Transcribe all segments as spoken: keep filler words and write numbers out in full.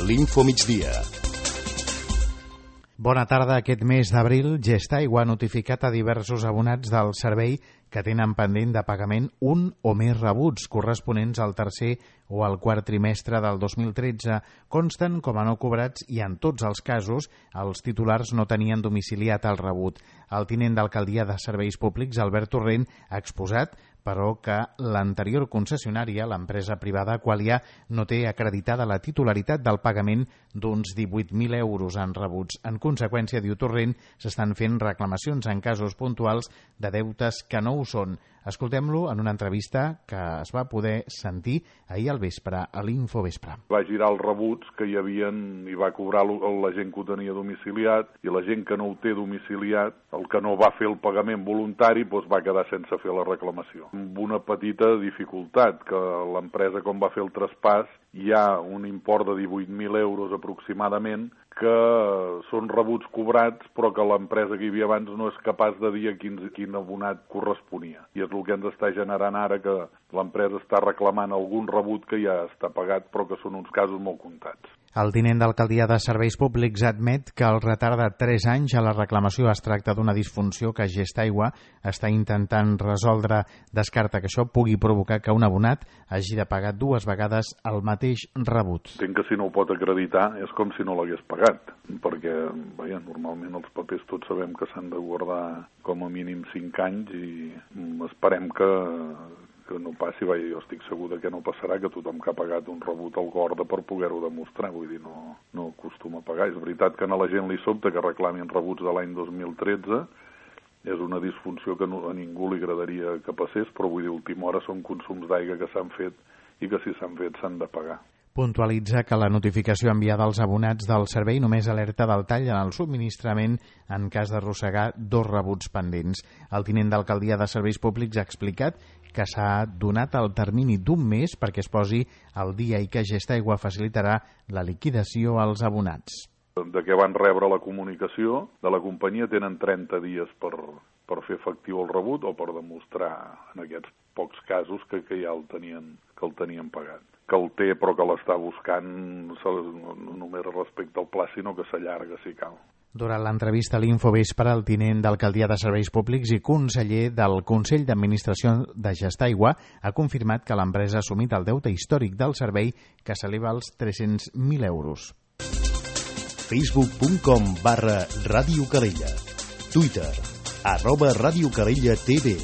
l'Infomigdia. Bona tarda. Aquest mes d'abril, Gestaigua ha notificat a diversos abonats del servei que tenen pendent de pagament un o més rebuts corresponents al tercer o al quart trimestre del dos mil tretze. Consten com a no cobrats i en tots els casos els titulars no tenien domiciliat el rebut. El tinent d'alcaldia de Serveis Públics, Albert Torrent, ha exposat però que l'anterior concessionària, l'empresa privada Qualia, no té acreditada la titularitat del pagament d'uns divuit mil euros en rebuts. En conseqüència, diu Torrent, s'estan fent reclamacions en casos puntuals de deutes que no ho són. Escoltem-lo en una entrevista que es va poder sentir ahir al vespre, a l'Infovespre. Va girar els rebuts que hi havien i va cobrar la gent que ho tenia domiciliat, i la gent que no ho té domiciliat, el que no va fer el pagament voluntari, doncs va quedar sense fer la reclamació. Amb una petita dificultat, que l'empresa, com va fer el traspàs, hi ha un import de divuit mil euros aproximadament que són rebuts cobrats, però que l'empresa que hi havia abans no és capaç de dir a quin, quin abonat corresponia. I és el que ens està generant ara, que l'empresa està reclamant algun rebut que ja està pagat, però que són uns casos molt comptats. El tinent d'alcaldia de Serveis Públics admet que el retard de tres anys a la reclamació es tracta d'una disfunció que Gestaigua està intentant resoldre. Descarta que això pugui provocar que un abonat hagi de pagar dues vegades el mateix rebut. Entenc que si no ho pot acreditar és com si no l'hagués pagat, perquè vaja, normalment els papers tots sabem que s'han de guardar com a mínim cinc anys i esperem que que no passi. Vaja, jo estic segur que no passarà, que tothom que ha pagat un rebut el guarda per poder-ho demostrar, vull dir, no, no acostuma a pagar. És veritat que a la gent li sobta que reclamin rebuts de l'any dos mil tretze, és una disfunció que no, a ningú li agradaria que passés, però vull dir, a última hora són consums d'aigua que s'han fet i que si s'han fet s'han de pagar. Puntualitza que la notificació enviada als abonats del servei només alerta del tall en el subministrament en cas d'arrossegar dos rebuts pendents. El tinent d'alcaldia de Serveis Públics ha explicat que s'ha donat el termini d'un mes perquè es posi al dia i que Gestaigua facilitarà la liquidació als abonats. De què van rebre la comunicació de la companyia tenen trenta dies per, per fer efectiu el rebut o per demostrar en aquests pocs casos que, que ja el tenien, que el tenien pagat. Que el té però que l'està buscant no només respecte al pla, sinó que s'allarga si cal. Durant l'entrevista a l'Infovespre, el tinent d'alcaldia de Serveis Públics i conseller del Consell d'Administració de Gestaigua ha confirmat que l'empresa ha assumit el deute històric del servei, que s'eleva als tres-cents mil euros. facebook punt com barra Ràdio Calella. Twitter, arroba Ràdio Calella T V.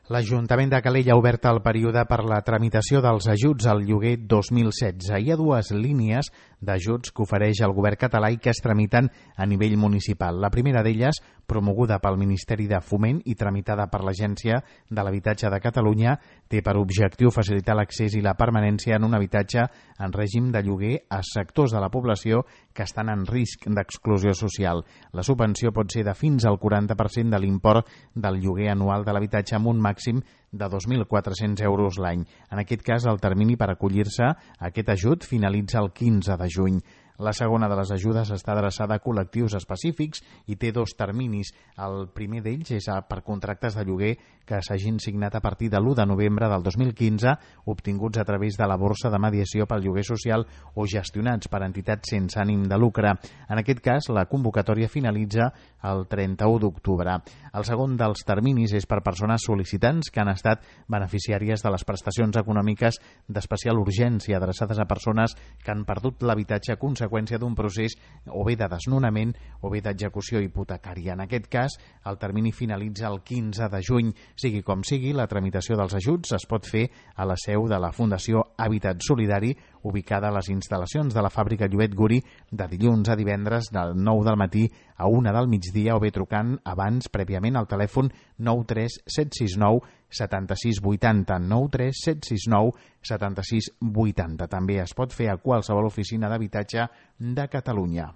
L'Ajuntament de Calella ha obert el període per la tramitació dels ajuts al lloguer dos mil setze. Hi ha dues línies d'ajuts que ofereix el govern català i que es tramiten a nivell municipal. La primera d'elles, promoguda pel Ministeri de Foment i tramitada per l'Agència de l'Habitatge de Catalunya, té per objectiu facilitar l'accés i la permanència en un habitatge en règim de lloguer a sectors de la població que estan en risc d'exclusió social. La subvenció pot ser de fins al quaranta per cent de l'import del lloguer anual de l'habitatge amb un màxim de dos mil quatre-cents euros l'any. En aquest cas, el termini per acollir-se a aquest ajut finalitza el quinze de juny. La segona de les ajudes està adreçada a col·lectius específics i té dos terminis. El primer d'ells és per contractes de lloguer que s'hagin signat a partir de l'u de novembre del dos mil quinze, obtinguts a través de la borsa de mediació pel lloguer social o gestionats per entitats sense ànim de lucre. En aquest cas, la convocatòria finalitza el trenta-u d'octubre. El segon dels terminis és per persones sol·licitants que han estat beneficiàries de les prestacions econòmiques d'especial urgència adreçades a persones que han perdut l'habitatge a conseqüència d'un procés o bé de desnonament o bé d'execució hipotecària. En aquest cas, el termini finalitza el quinze de juny. Sigui com sigui, la tramitació dels ajuts es pot fer a la seu de la Fundació Hàbitat Solidari, ubicada a les instal·lacions de la fàbrica Llobet Guri, de dilluns a divendres del nou del matí a una del migdia, o bé trucant abans prèviament al telèfon nou tres set sis nou set sis vuit zero, nou tres set sis nou set sis vuit zero. També es pot fer a qualsevol oficina d'habitatge de Catalunya.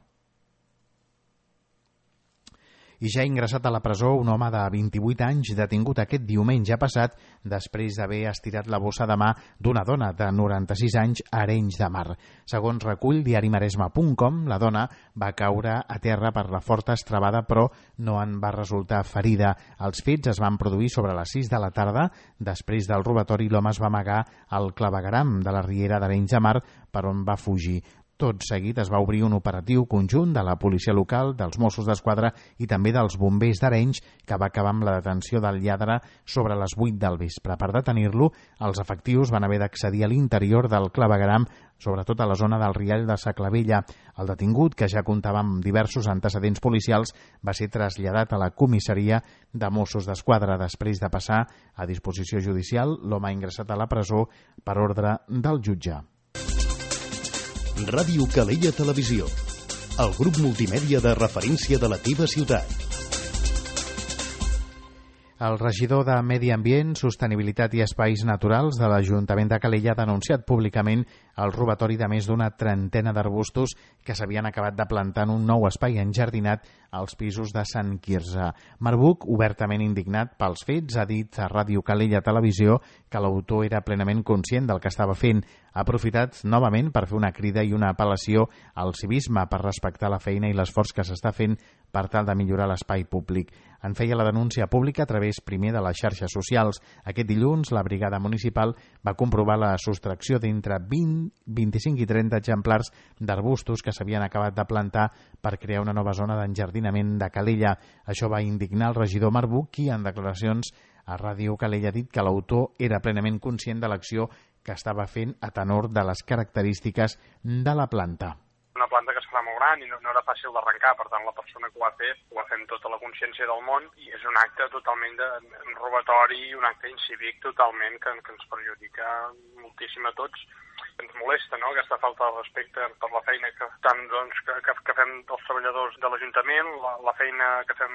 I ja ha ingressat a la presó un home de vint-i-vuit anys detingut aquest diumenge passat després d'haver estirat la bossa de mà d'una dona de noranta-sis anys a Arenys de Mar. Segons recull diari maresme punt com, la dona va caure a terra per la forta estrebada però no en va resultar ferida. Els fets es van produir sobre les sis de la tarda. Després del robatori, l'home es va amagar al clavegueram de la riera d'Arenys de Mar, per on va fugir. Tot seguit es va obrir un operatiu conjunt de la policia local, dels Mossos d'Esquadra i també dels bombers d'Arenys, que va acabar amb la detenció del lladre sobre les vuit del vespre. Per detenir-lo, els efectius van haver d'accedir a l'interior del clavegueram, sobretot a la zona del riall de Sa Clavella. El detingut, que ja comptava amb diversos antecedents policials, va ser traslladat a la comissaria de Mossos d'Esquadra. Després de passar a disposició judicial, l'home ha ingressat a la presó per ordre del jutge. Ràdio Calella Televisió, el grup multimèdia de referència de la teva ciutat. El regidor de Medi Ambient, Sostenibilitat i Espais Naturals de l'Ajuntament de Calella ha denunciat públicament el robatori de més d'una trentena d'arbustos que s'havien acabat de plantar en un nou espai enjardinat als pisos de Sant Quirze. Marbuc, obertament indignat pels fets, ha dit a Ràdio Calella Televisió que l'autor era plenament conscient del que estava fent. Ha aprofitat novament per fer una crida i una apel·lació al civisme per respectar la feina i l'esforç que s'està fent per tal de millorar l'espai públic. En feia la denúncia pública a través primer de les xarxes socials. Aquest dilluns, la brigada municipal va comprovar la sostracció d'entre vint, vint-i-cinc i trenta exemplars d'arbustos que s'havien acabat de plantar per crear una nova zona d'enjardinament de Calella. Això va indignar el regidor Marbuc, qui en declaracions a Ràdio Calella ha dit que l'autor era plenament conscient de l'acció que estava fent a tenor de les característiques de la planta. Una planta que es fa molt gran i no, no era fàcil d'arrencar, per tant la persona que ho ha fet ho ha fet amb tota la consciència del món i és un acte totalment de robatori, un acte incívic totalment que, que ens perjudica moltíssim a tots. Ens molesta, no?, aquesta falta de respecte per la feina que, tant, doncs, que, que, que fem els treballadors de l'Ajuntament, la, la feina que fem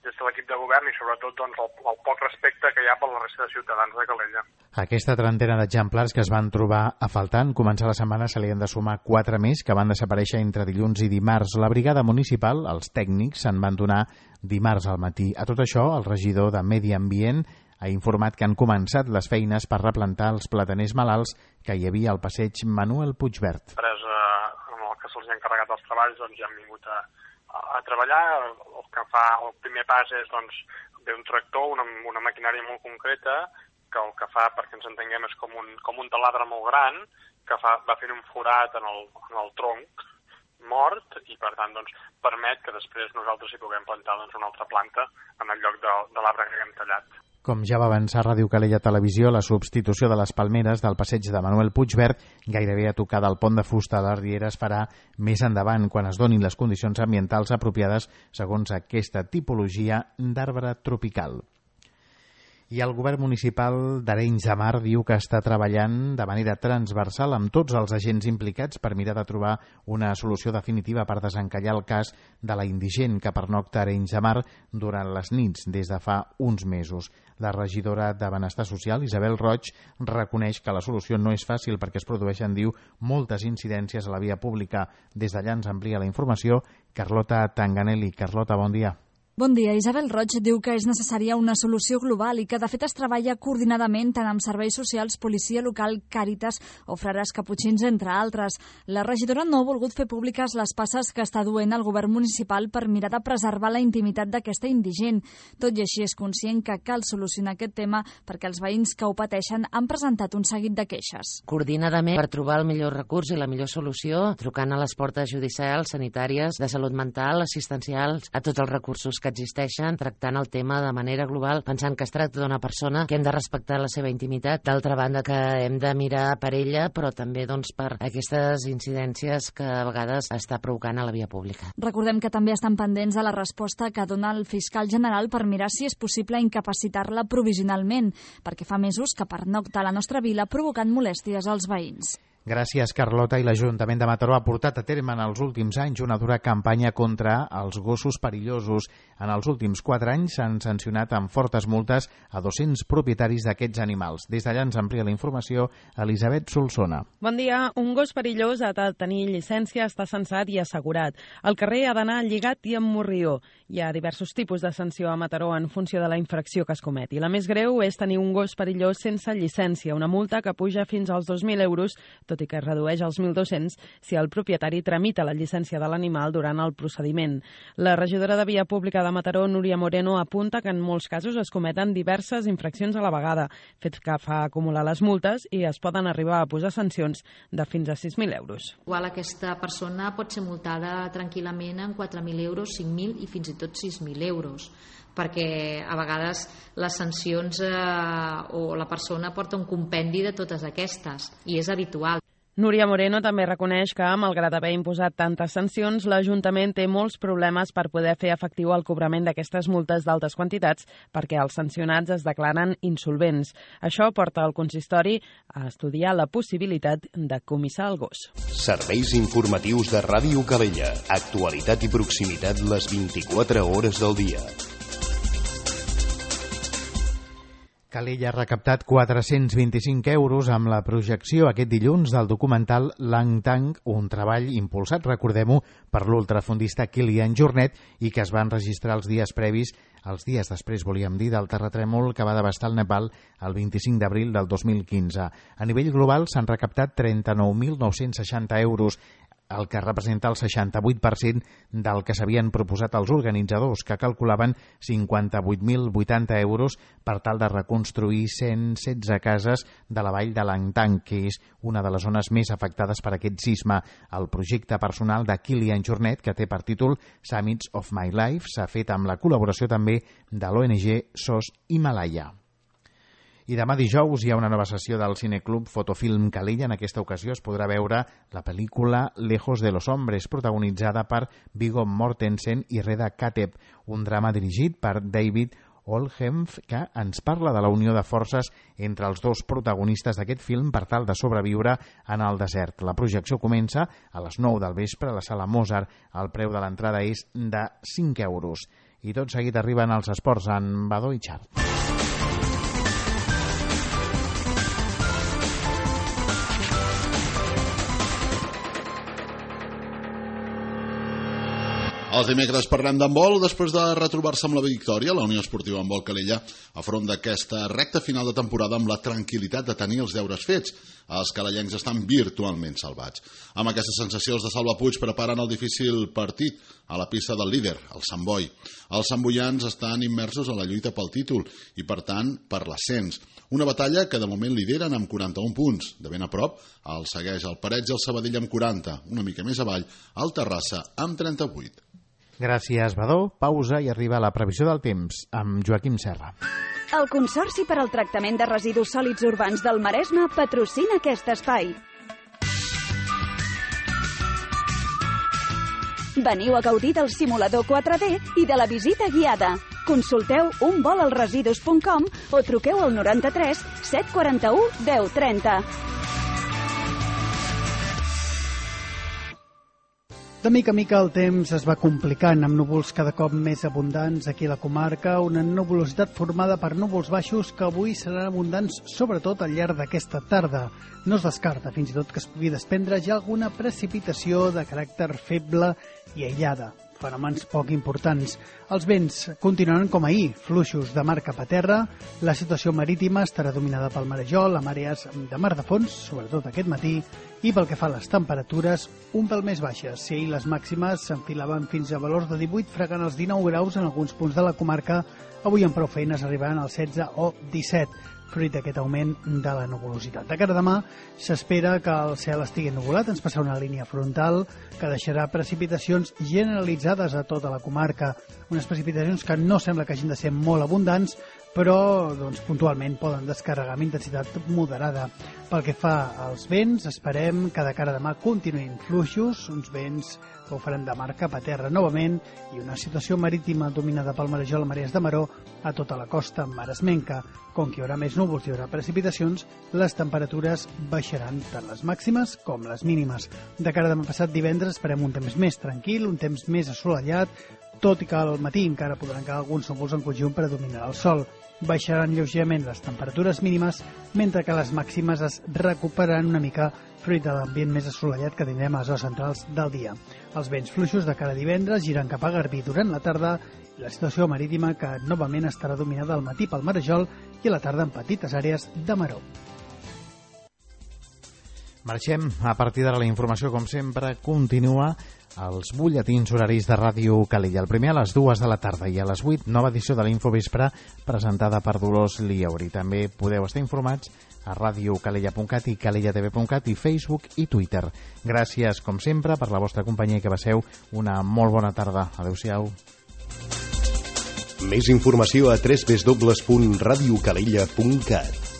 des de l'equip de govern i sobretot doncs, el, el poc respecte que hi ha per la resta de ciutadans de Calella. Aquesta trentena d'exemplars que es van trobar a faltar en començar la setmana se li han de sumar quatre més que van desaparèixer entre dilluns i dimarts. La brigada municipal, els tècnics, se'n van donar dimarts al matí. A tot això, el regidor de Medi Ambient ha informat que han començat les feines per replantar els plataners malalts que hi havia al passeig Manuel Puigvert. Després, eh, amb el que se'ls ha encarregat els treballs, doncs ja han vingut a, a, a treballar. El que fa, el primer pas és, doncs, ve un tractor, una, una maquinària molt concreta, que el que fa, perquè ens entenguem, és com un, com un taladre molt gran, que fa, va fent un forat en el, en el tronc mort i, per tant, doncs, permet que després nosaltres hi puguem plantar doncs, una altra planta en el lloc de, de l'arbre que hem tallat. Com ja va avançar Ràdio Calella Televisió, la substitució de les palmeres del passeig de Manuel Puigvert, gairebé a tocar del pont de fusta de la Riera, es farà més endavant, quan es donin les condicions ambientals apropiades segons aquesta tipologia d'arbre tropical. I el govern municipal d'Arenys de Mar diu que està treballant de manera transversal amb tots els agents implicats per mirar de trobar una solució definitiva per desencallar el cas de la indigent que pernocta a Arenys de Mar durant les nits des de fa uns mesos. La regidora de Benestar Social, Isabel Roig, reconeix que la solució no és fàcil perquè es produeixen, diu, moltes incidències a la via pública. Des d'allà ens amplia la informació Carlota Tanganelli. Carlota, bon dia. Bon dia. Isabel Roig diu que és necessària una solució global i que de fet es treballa coordinadament tant amb serveis socials, policia local, Càritas o frares caputxins, entre altres. La regidora no ha volgut fer públiques les passes que està duent el govern municipal per mirar de preservar la intimitat d'aquesta indigent. Tot i així és conscient que cal solucionar aquest tema perquè els veïns que ho pateixen han presentat un seguit de queixes. Coordinadament per trobar el millor recurs i la millor solució, trucant a les portes judicials, sanitàries, de salut mental, assistencials, a tots els recursos que existeixen, tractant el tema de manera global, pensant que es tracta d'una persona que hem de respectar la seva intimitat, d'altra banda que hem de mirar per ella, però també doncs, per aquestes incidències que a vegades està provocant a la via pública. Recordem que també estan pendents de la resposta que dona el fiscal general per mirar si és possible incapacitar-la provisionalment, perquè fa mesos que pernocta a la nostra vila provocant molèsties als veïns. Gràcies, Carlota. I l'Ajuntament de Mataró ha portat a terme en els últims anys una dura campanya contra els gossos perillosos. En els últims quatre anys s'han sancionat amb fortes multes a dos-cents propietaris d'aquests animals. Des d'allà ens amplia la informació Elisabet Solsona. Bon dia. Un gos perillós ha de tenir llicència, està censat i assegurat. Al carrer ha d'anar lligat i amb morrió. Hi ha diversos tipus de sanció a Mataró en funció de la infracció que es cometi. La més greu és tenir un gos perillós sense llicència, una multa que puja fins als dos mil euros, tot i que es redueix als mil dos-cents si el propietari tramita la llicència de l'animal durant el procediment. La regidora de Via Pública de Mataró, Núria Moreno, apunta que en molts casos es cometen diverses infraccions a la vegada, fet que fa acumular les multes i es poden arribar a posar sancions de fins a sis mil euros. Igual aquesta persona pot ser multada tranquil·lament en quatre mil euros, cinc mil i fins i tot sis mil euros, perquè a vegades les sancions eh, o la persona porta un compendi de totes aquestes i és habitual. Núria Moreno també reconeix que, malgrat haver imposat tantes sancions, l'Ajuntament té molts problemes per poder fer efectiu el cobrament d'aquestes multes d'altes quantitats perquè els sancionats es declaren insolvents. Això porta el consistori a estudiar la possibilitat de comissar el gos. Serveis informatius de Ràdio Calella. Actualitat i proximitat les vint-i-quatre hores del dia. Calella ha recaptat quatre-cents vint-i-cinc euros amb la projecció aquest dilluns del documental Lang Tang, un treball impulsat, recordem-ho, per l'ultrafondista Kilian Jornet i que es va enregistrar els dies previs, els dies després, volíem dir, del terratrèmol que va devastar el Nepal el vint-i-cinc d'abril del dos mil quinze. A nivell global s'han recaptat trenta-nou mil nou-cents seixanta euros, el que representa el seixanta-vuit per cent del que s'havien proposat els organitzadors, que calculaven cinquanta-vuit mil vuitanta euros per tal de reconstruir cent setze cases de la vall de Lang Tang, que és una de les zones més afectades per aquest sisme. El projecte personal de Kilian Jornet, que té per títol Summits of My Life, s'ha fet amb la col·laboració també de l'O N G S O S Himalaya. I demà dijous hi ha una nova sessió del Cineclub Fotofilm Calella. En aquesta ocasió es podrà veure la pel·lícula Lejos de los Hombres, protagonitzada per Viggo Mortensen i Reda Kateb, un drama dirigit per David Oldham, que ens parla de la unió de forces entre els dos protagonistes d'aquest film per tal de sobreviure en el desert. La projecció comença a les nou del vespre a la sala Mozart. El preu de l'entrada és de cinc euros. I tot seguit arriben els esports en Badó i Xart. Els dimecres parlem d'handbol després de retrobar-se amb la victòria. La Unió Esportiva Handbol Calella afronta aquesta recta final de temporada amb la tranquil·litat de tenir els deures fets. Els calellencs estan virtualment salvats. Amb aquesta sensació, els de Salva Puig preparen el difícil partit a la pista del líder, el Sant Boi. Els santboians estan immersos a la lluita pel títol i, per tant, per l'ascens. Una batalla que de moment lideren amb quaranta-un punts. De ben a prop, el segueix el Parets i el Sabadell amb quaranta. Una mica més avall, el Terrassa amb trenta-vuit. Gràcies, Badó. Pausa i arriba la previsió del temps amb Joaquim Serra. El Consorci per al Tractament de Residus Sòlids Urbans del Maresme patrocina aquest espai. Veniu a gaudir del simulador quatre D i de la visita guiada. Consulteu un vol als residus punt com o truqueu al noranta-tres set quaranta-u deu trenta. De mica a mica el temps es va complicant, amb núvols cada cop més abundants aquí a la comarca, una nuvolositat formada per núvols baixos que avui seran abundants sobretot al llarg d'aquesta tarda. No es descarta fins i tot que es pugui desprendre ja alguna precipitació de caràcter feble i aïllada. Fenòmens poc importants. Els vents continuaran com ahir, fluixos de mar cap a terra. La situació marítima estarà dominada pel marejol, amb àrees de mar de fons, sobretot aquest matí, i pel que fa a les temperatures, un pèl més baixes. Si ahir les màximes s'enfilaven fins a valors de divuit, fregant els dinou graus en alguns punts de la comarca, avui amb prou feines arribaran als setze o disset. Fruit d'aquest augment de la nuvolositat. De cara a demà s'espera que el cel estigui ennuvolat, ens passarà una línia frontal que deixarà precipitacions generalitzades a tota la comarca. Unes precipitacions que no sembla que hagin de ser molt abundants, però doncs, puntualment poden descarregar amb intensitat moderada. Pel que fa als vents, esperem que de cara a demà continuïn fluixos, uns vents que ho faran de mar cap a terra novament i una situació marítima dominada pel marejol a marees de maró a tota la costa maresmenca. Com que hi haurà més núvols i hi haurà precipitacions, les temperatures baixaran tant les màximes com les mínimes. De cara a demà passat divendres esperem un temps més tranquil, un temps més assolellat, tot i que al matí encara podran quedar alguns núvols en conjunt per a dominar el sol. Baixaran lleugerament les temperatures mínimes, mentre que les màximes es recuperaran una mica fruit de l'ambient més assolellat que tindrem a les hores centrals del dia. Els vents fluixos de cara a divendres giran cap a Garbí durant la tarda i la situació marítima que novament estarà dominada al matí pel marejol i a la tarda en petites àrees de maró. Marxem. A partir d'ara la informació, com sempre, continua als butlletins horaris de Ràdio Calella. El primer a les dues de la tarda i a les vuit, nova edició de l'Infovespre presentada per Dolors Liauri. També podeu estar informats a radiocalella punt cat i calella t v punt cat i Facebook i Twitter. Gràcies, com sempre, per la vostra companyia i que passeu una molt bona tarda. Adéu-siau. Més informació a w w w punt radiocalella punt cat.